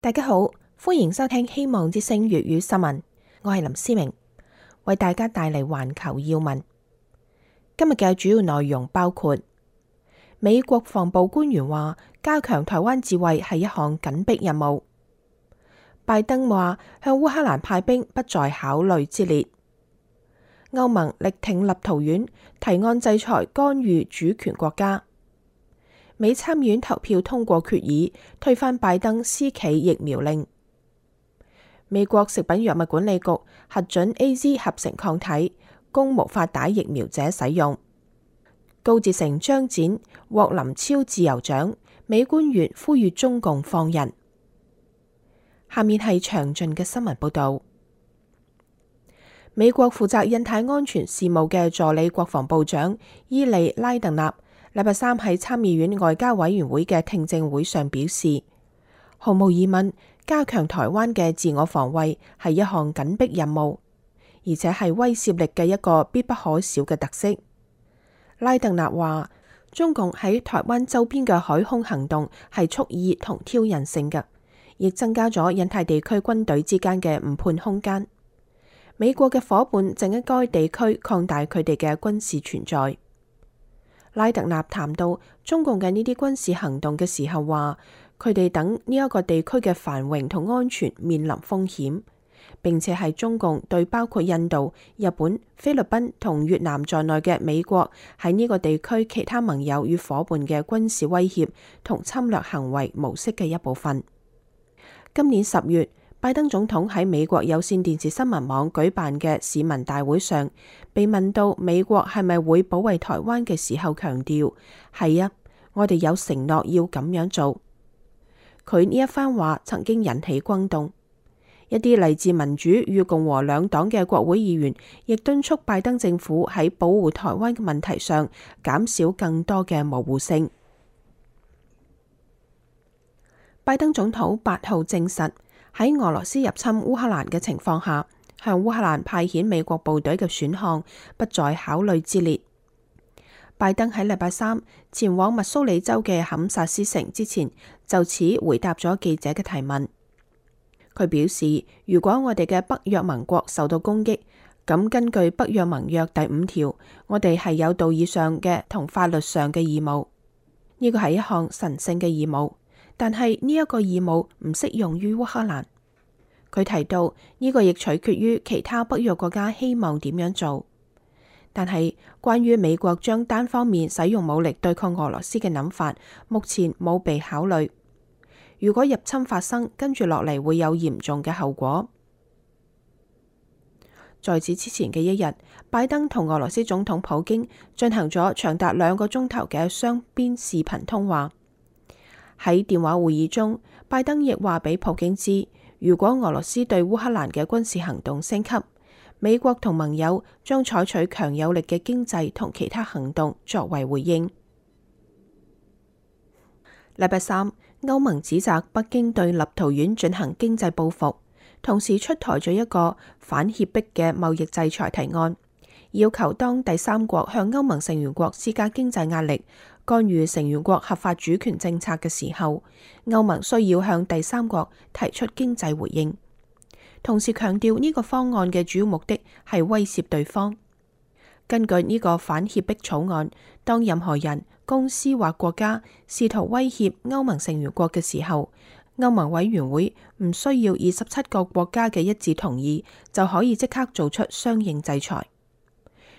大家好，歡迎收聽希望之聲粵語新聞，我係林思明，為大家帶嚟環球要聞。今日嘅主要內容包括：美國國防部官員話，加強台灣自衛係一項緊迫任務；拜登話向烏克蘭派兵不在考慮之列；歐盟力挺立陶宛，提案制裁干預主權國家；美參議院投票通過決議，推翻拜登私企疫苗令；美國食品藥物管理局核准 AZ 合成抗體，供無法打疫苗者使用；高捷成張展獲林超自由獎，美官員呼籲中共放人。下面係詳盡嘅新聞報導。美國負責印太安全事務嘅助理國防部長伊利拉特納禮拜三喺參議院外交委員會嘅聽證會上表示，毫無疑問，加強台灣嘅自我防衛係一項緊迫任務，而且係威懾力嘅一個必不可少嘅特色。拉特納話，中共喺台灣周邊嘅海空行動係蓄意同挑釁性嘅，亦增加咗印太地區軍隊之間嘅誤判空間。美國嘅夥伴正喺該地區擴大佢哋嘅軍事存在。拉特納談到中共嘅呢啲軍事行動嘅時候話，佢哋等呢一個地區嘅繁榮同安全面臨風險，並且係中共對包括印度、日本、菲律賓同越南在內嘅美國喺呢個地區其他盟友與夥伴嘅軍事威脅同侵略行為模式嘅一部分。今年10月，拜登總統喺美國有線電視新聞網舉辦嘅市民大會上，被問到美國係咪會保衛台灣嘅時候，強調係啊，我哋有承諾要咁樣做。佢呢一番話曾經引起轟動，一啲嚟自民主與共和兩黨嘅國會議員亦敦促拜登政府喺保護台灣嘅問題上減少更多嘅模糊性。拜登總統8號證實，喺俄羅斯入侵烏克蘭嘅情況下，向烏克蘭派遣美國部隊嘅選項不在考慮之列。拜登喺禮拜三前往密蘇里州嘅堪薩斯城之前，就此回答咗記者嘅提問。佢表示，如果我哋嘅北約盟國受到攻擊，咁根據北約盟約第5條，我哋係有道義上嘅同法律上嘅義務。呢個係一項神聖嘅義務。但係呢一個義務唔適用於烏克蘭。佢提到呢個亦取決於其他北約國家希望點樣做。但係關於美國將單方面使用武力對抗俄羅斯嘅諗法，目前冇被考慮。如果入侵發生，跟住落嚟會有嚴重嘅後果。在此之前嘅一日，拜登同俄羅斯總統普京進行咗長達2個鐘頭嘅雙邊視頻通話。喺電話會議中，拜登亦話俾普京知，如果俄羅斯對烏克蘭嘅軍事行動升級，美國同盟友將採取強有力嘅經濟同其他行動作為回應。禮拜三，歐盟指責北京對立陶宛進行經濟報復，同時出台咗一個反脅迫嘅貿易制裁提案，要求當第三國向歐盟成員國施加經濟壓力，干預成員國合法主權政策嘅時候，歐盟需要向第三國提出經濟回應。同時強調呢個方案嘅主要目的係威懾對方。根據呢個反脅迫草案，當任何人、公司或國家試圖威脅歐盟成員國嘅時候，歐盟委員會唔需要27個國家嘅一致同意，就可以即刻做出相應制裁。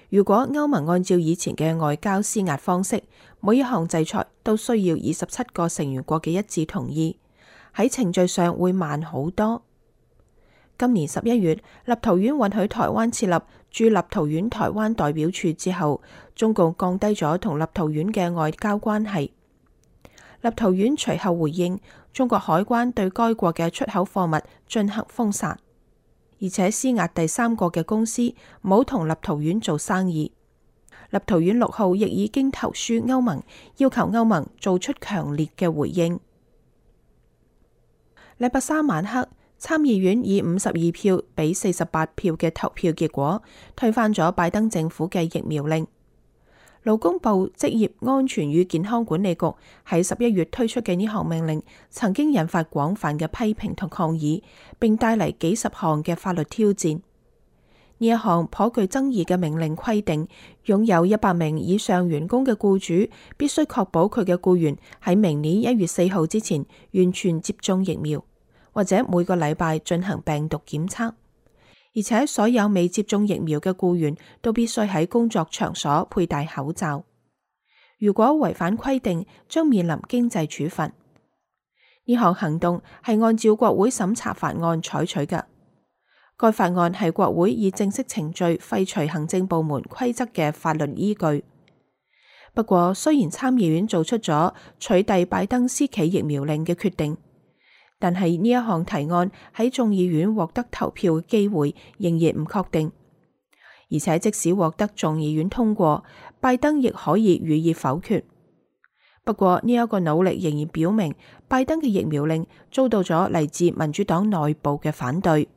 如果歐盟按照以前嘅外交施壓方式，每一項制裁都需要27個成員國嘅一致同意，喺程序上會慢好多。今年11月，立陶宛允許台灣設立駐立陶宛台灣代表處之後，中共降低咗同立陶宛嘅外交關係。立陶宛隨後回應，中國海關對該國嘅出口貨物進行封殺，而且施壓第三國嘅公司唔好同立陶宛做生意。立陶宛6號亦已經投書歐盟，要求歐盟做出強烈嘅回應。禮拜三晚黑，參議院以52票比48票嘅投票結果，推翻咗拜登政府嘅疫苗令。勞工部職業安全與健康管理局喺11月推出嘅呢項命令，曾經引發廣泛嘅批評同抗議，並帶嚟幾十項嘅法律挑戰。呢一項頗具爭議嘅命令規定，擁有100名以上員工嘅僱主必須確保佢嘅僱員喺明年1月4號之前完全接種疫苗，或者每個禮拜進行病毒檢測。而且所有未接種疫苗嘅僱員都必須喺工作場所佩戴口罩。如果違反規定，將面臨經濟處罰。呢項行動係按照國會審查法案採取嘅。該法案係國會以正式程序廢除行政部門規則嘅法律依據。不過，雖然參議院做出咗取締拜登私企疫苗令嘅決定，但係呢一項提案喺眾議院獲得投票嘅機會仍然唔確定，而且即使獲得眾議院通過，拜登亦可以予以否決。不過呢一個努力仍然表明，拜登嘅疫苗令遭到咗嚟自民主黨內部嘅反對。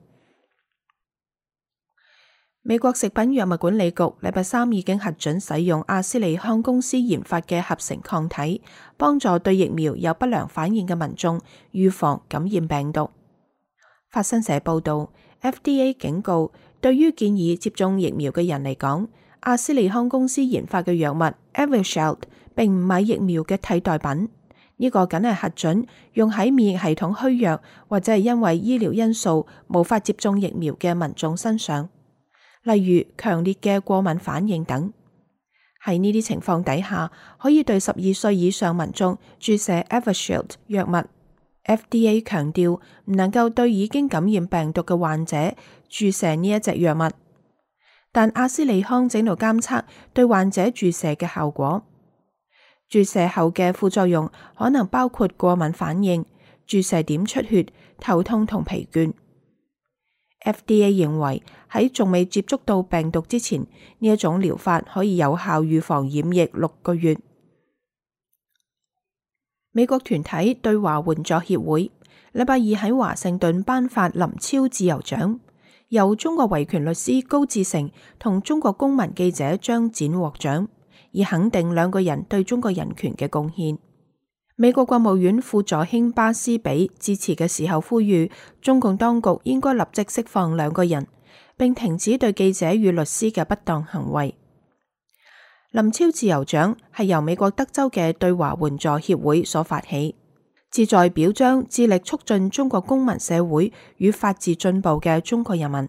美國食品藥物管理局禮拜三已經核准使用阿斯利康公司研發嘅合成抗體，幫助對疫苗有不良反應嘅民眾預防感染病毒。法新社報道 ，FDA 警告，對於建議接種疫苗嘅人嚟講，阿斯利康公司研發嘅藥物 Evusheld 並唔係疫苗嘅替代品。呢個僅係核准用喺免疫系統虛弱或者係因為醫療因素無法接種疫苗嘅民眾身上。例如強烈嘅過敏反應等。喺呢啲情況底下，可以對12歲以上民眾注射 Evusheld 藥物。FDA 強調唔能夠對已經感染病毒嘅患者注射呢一隻藥物，但阿斯利康正度監測對患者注射嘅效果。注射後嘅副作用可能包括過敏反應、注射點出血、頭痛同疲倦。FDA 認為喺仲未接觸到病毒之前，呢一種療法可以有效預防染疫6個月。美國團體對華援助協會禮拜二喺華盛頓頒發林超自由獎，由中國維權律師高志成同中國公民記者張展獲獎，以肯定兩個人對中國人權嘅貢獻。美國國務院副助卿巴斯比致辭嘅時候呼籲，中共當局應該立即釋放兩個人，並停止對記者與律師嘅不當行為。林超自由獎係由美國德州嘅對華援助協會所發起，旨在表彰致力促進中國公民社會與法治進步嘅中國人民。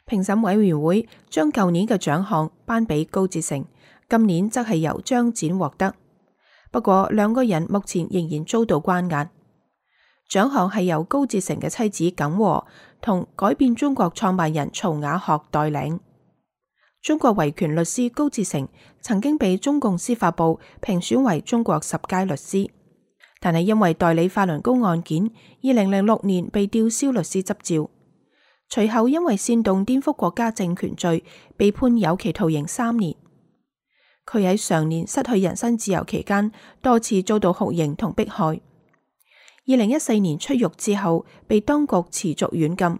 評審委員會將舊年嘅獎項頒俾高志成，今年則係由張展獲得。不過兩個人目前仍然遭到關押。獎項係由高志成嘅妻子耿和同改變中國創辦人曹雅學代領。中國維權律師高志成曾經被中共司法部評選為中國10佳律師，但係因為代理法輪功案件，2006年被吊銷律師執照。隨後因為煽動顛覆國家政權罪，被判有期徒刑3年。佢喺上年失去人身自由期間，多次遭到酷刑同迫害。2014年出獄之後，被當局持續軟禁。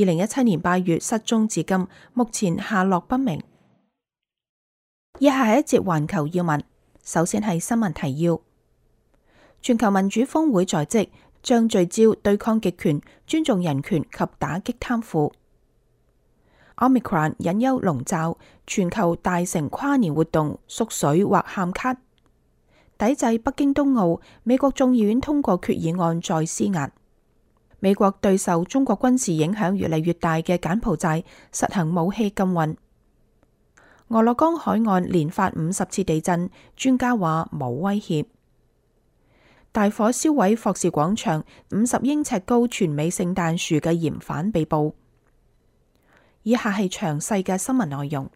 2017年8月失蹤至今，目前下落不明。以下係一節環球要聞，首先係新聞提要：全球民主峰會在即，將聚焦對抗極權、尊重人權及打擊貪腐。Omicron 隱憂籠罩，全球大型跨年活動縮水或喊卡。抵制北京冬奧，美國眾議院通過決議案再施壓。美國對受中國軍事影響越嚟越大嘅柬埔寨實行武器禁運。俄勒岡海岸連發50次地震，專家話冇威脅。大火燒毀霍士廣場50英尺高全美聖誕樹嘅嫌犯被捕。以下係詳細嘅新聞內容。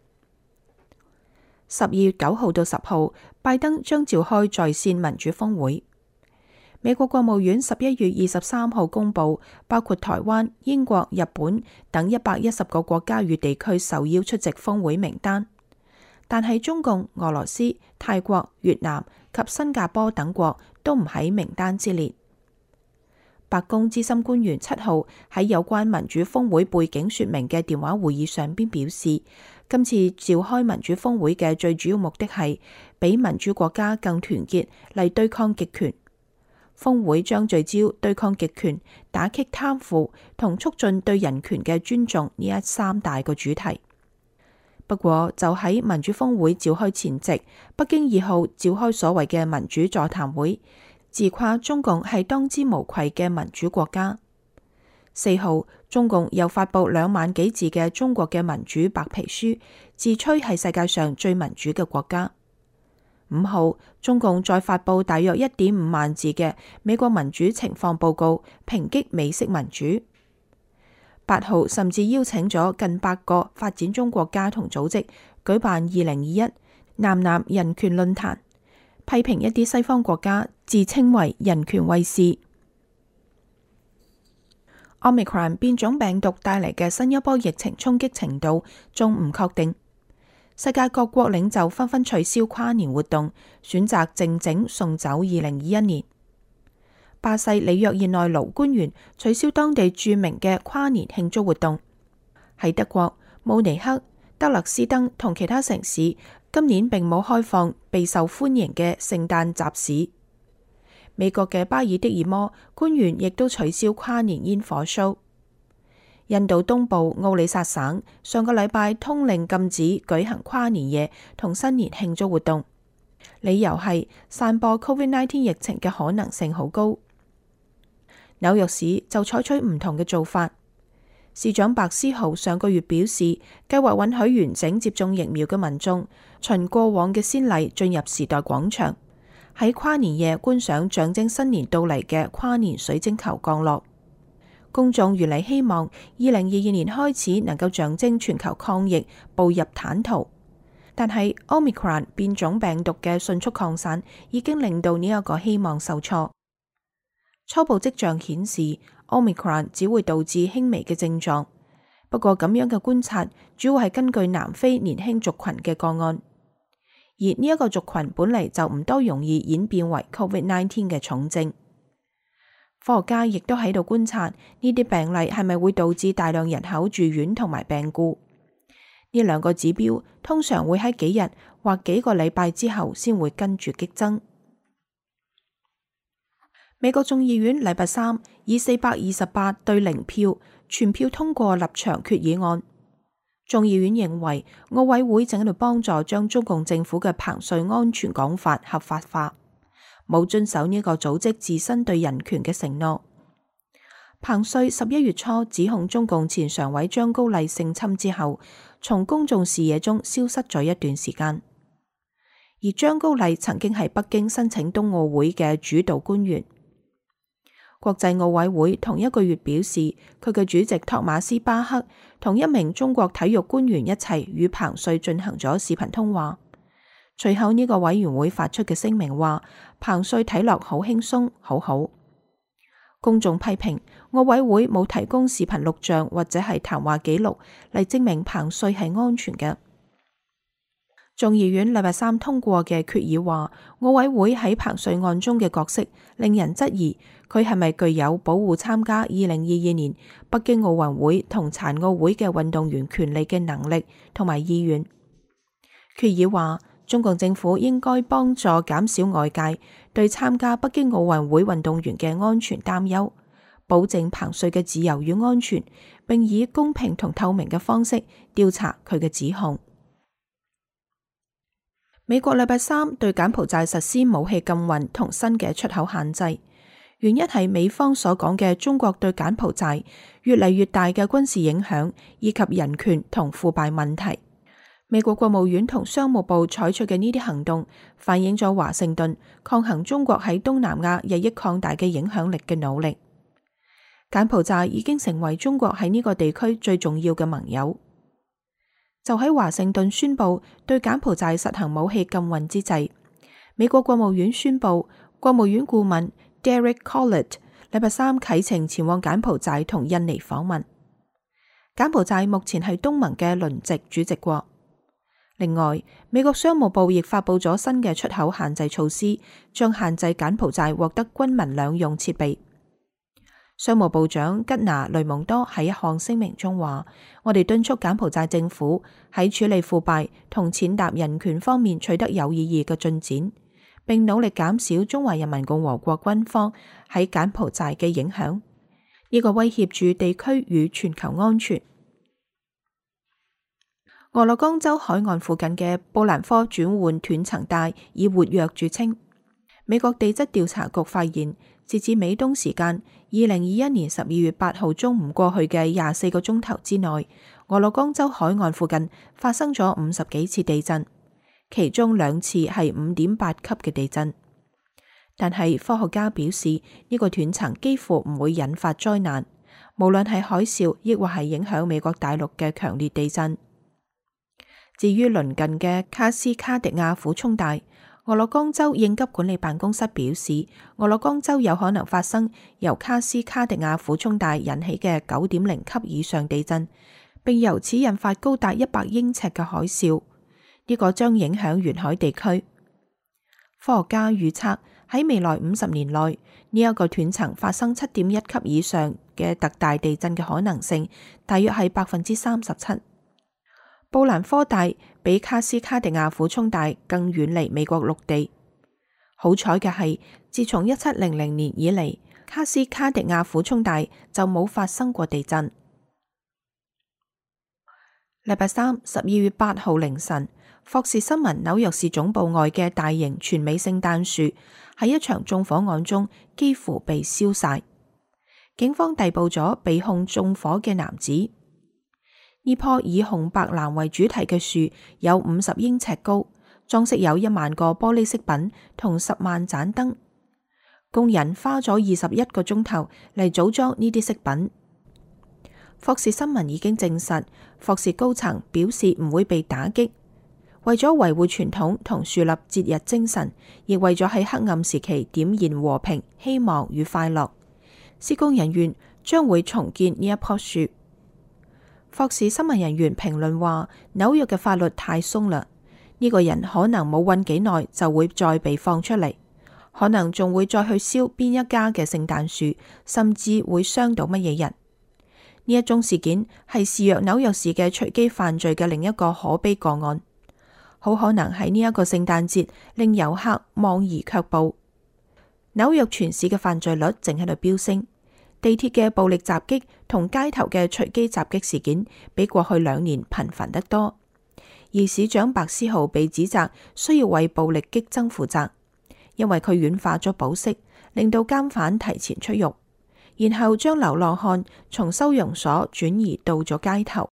12月9號到10號，拜登將召開在線民主峰會。美國國務院11月23號公布，包括台灣、英國、日本等110個國家與地區受邀出席峰會名單，但係中共、俄羅斯、泰國、越南及新加坡等國都唔喺名單之列。白宮資深官員7號喺有關民主峰會背景說明嘅電話會議上邊表示，今次召開民主峰會嘅最主要目的係比民主國家更團結嚟對抗極權。峰會將聚焦對抗極權、打擊貪腐同促進對人權嘅尊重呢3大個主題。不過，就喺民主峰會召開前夕，北京2號召開所謂嘅民主座談會，自誇中共係當之無愧嘅民主國家。4號，中共又發布2萬幾字嘅中國嘅民主白皮書，自吹係世界上最民主嘅國家。5號，中共再發布大約1.5萬字嘅美國民主情況報告，抨擊美式民主。8號，甚至邀請咗近100個發展中國家同組織舉辦2021南南人權論壇，批評一啲西方國家自稱為人權衛士。Omicron 變種病毒帶嚟嘅新一波疫情衝擊程度仲唔確定。世界各國領袖紛紛取消跨年活動，選擇靜靜送走2021年。巴西里約熱內盧官員取消當地著名嘅跨年慶祝活動。喺德國，慕尼黑、德勒斯登同其他城市今年並冇開放備受歡迎嘅聖誕集市。美國嘅巴爾的爾摩官員亦都取消跨年煙火 show。印度東部奧里薩省上個禮拜通令禁止舉行跨年夜同新年慶祝活動，理由係散播 COVID-19 疫情嘅可能性好高。紐約市就採取唔同嘅做法。市長白思豪上個月表示，計劃允許完整接種疫苗嘅民眾循過往嘅先例進入時代廣場，喺跨年夜觀賞象徵新年到嚟嘅跨年水晶球降落。公眾原嚟希望2022年開始能夠象徵全球抗疫步入坦途，但係 Omicron 變種病毒嘅迅速擴散已經令到呢一個希望受挫。初步跡象顯示 Omicron 只會導致輕微嘅症狀，不過咁樣嘅觀察主要係根據南非年輕族群嘅個案，而呢一個族群本嚟就唔多容易演變為 COVID-19 嘅重症。科學家亦都喺度觀察呢啲病例係咪會導致大量人口住院同埋病故。呢2個指標通常會喺幾日或幾個禮拜之後先會跟住激增。美國眾議院禮拜3以428對0票全票通過立場決議案。眾議院認為奧委會正喺度幫助將中共政府嘅彭帥安全講法合法化，冇遵守呢個組織自身對人權嘅承諾。彭帥11月初指控中共前常委張高麗性侵之後，從公眾視野中消失咗一段時間。而張高麗曾經係北京申請冬奧會嘅主導官員。國際奧委會同一個月表示，佢嘅主席托馬斯巴克同一名中國體育官員一齊與彭帥進行咗視頻通話。隨後呢個委員會發出嘅聲明話，彭帥睇落好輕鬆，好好。公眾批評奧委會冇提供視頻錄像或者係談話記錄嚟證明彭帥係安全嘅。眾議院禮拜3通過嘅決議話，奧委會喺彭帥案中嘅角色令人質疑佢係咪具有保護參加2022年北京奧運會同殘奧會嘅運動員權利嘅能力同埋意願。決議話，中共政府應該幫助減少外界對參加北京奧運會運動員嘅安全擔憂，保證彭帥嘅自由與安全，並以公平同透明嘅方式調查佢嘅指控。美國禮拜3對柬埔寨實施武器禁運同新嘅出口限制，原因係美方所講嘅中國對柬埔寨越嚟越大嘅軍事影響，以及人權同腐敗問題。美國國務院同商務部採取嘅呢啲行動，反映咗華盛頓抗衡中國喺東南亞日益擴大嘅影響力嘅努力。柬埔寨已經成為中國喺呢個地區最重要嘅盟友。就喺華盛頓宣布對柬埔寨實行武器禁運之際，美國國務院宣布，國務院顧問 Derek Chollet 禮拜3啟程前往柬埔寨同印尼訪問。柬埔寨目前係東盟嘅輪值主席國。另外，美國商務部亦發布咗新嘅出口限制措施，將限制柬埔寨獲得軍民兩用設備。商務部長吉拿雷蒙多喺一項聲明中話：我哋敦促柬埔寨政府喺處理腐敗同踐踏人權方面取得有意義嘅進展，並努力減少中華人民共和國軍方喺柬埔寨嘅影響，呢個威脅住地區與全球安全。俄勒岡州海岸附近嘅布蘭科轉換斷層帶以活躍著稱。美國地質調查局發現，截至美東時間2021年12月8號中午過去嘅24個鐘頭之內，俄勒岡州海岸附近發生咗50幾次地震，其中2次係5.8級嘅地震。但係科學家表示，呢個斷層幾乎唔會引發災難，無論係海嘯亦或係影響美國大陸嘅強烈地震。至於鄰近嘅卡斯卡迪亞俯衝帶，俄勒岡州應急管理辦公室表示，俄勒岡州有可能發生由卡斯卡迪亞俯衝帶引起嘅9.0級以上地震，並由此引發高達100英尺嘅海嘯。呢個將影響沿海地區。科學家預測喺未來50年內，呢一個斷層發生7.1級以上嘅特大地震嘅可能性大約係37%。布蘭科帶比卡斯卡迪亞俯衝帶更遠離美國陸地。好彩嘅係，自從1700年以嚟，卡斯卡迪亞俯衝帶就冇發生過地震。禮拜三12月8號凌晨，霍士新聞紐約市總部外嘅大型全美聖誕樹喺一場縱火案中幾乎被燒晒。警方逮捕咗被控縱火嘅男子。呢棵以紅白藍為主題嘅樹有50英尺高，裝飾有1萬個玻璃飾品同10萬盞燈。工人花咗21個鐘頭嚟組裝呢啲飾品。霍士新聞已經證實，霍士高層表示唔會被打擊。為咗維護傳統同樹立節日精神，亦為咗喺黑暗時期點燃和平、希望與快樂，施工人員將會重建呢一棵樹。霍士新聞人員評論話：紐約嘅法律太鬆啦，呢個人可能冇韞幾耐就會再被放出嚟，可能仲會再去燒邊一家嘅聖誕樹，甚至會傷到乜嘢人。呢一宗事件係肆虐紐約市嘅隨機犯罪嘅另一個可悲個案，好可能喺呢一個聖誕節令遊客望而卻步。紐約全市嘅犯罪率正喺度飆升。地鐵嘅暴力襲擊同街頭嘅隨機襲擊事件比過去2年頻繁得多，而市長白思豪被指責需要為暴力激增負責，因為佢軟化咗保釋，令到監犯提前出獄，然後將流浪漢從收容所轉移到咗街頭。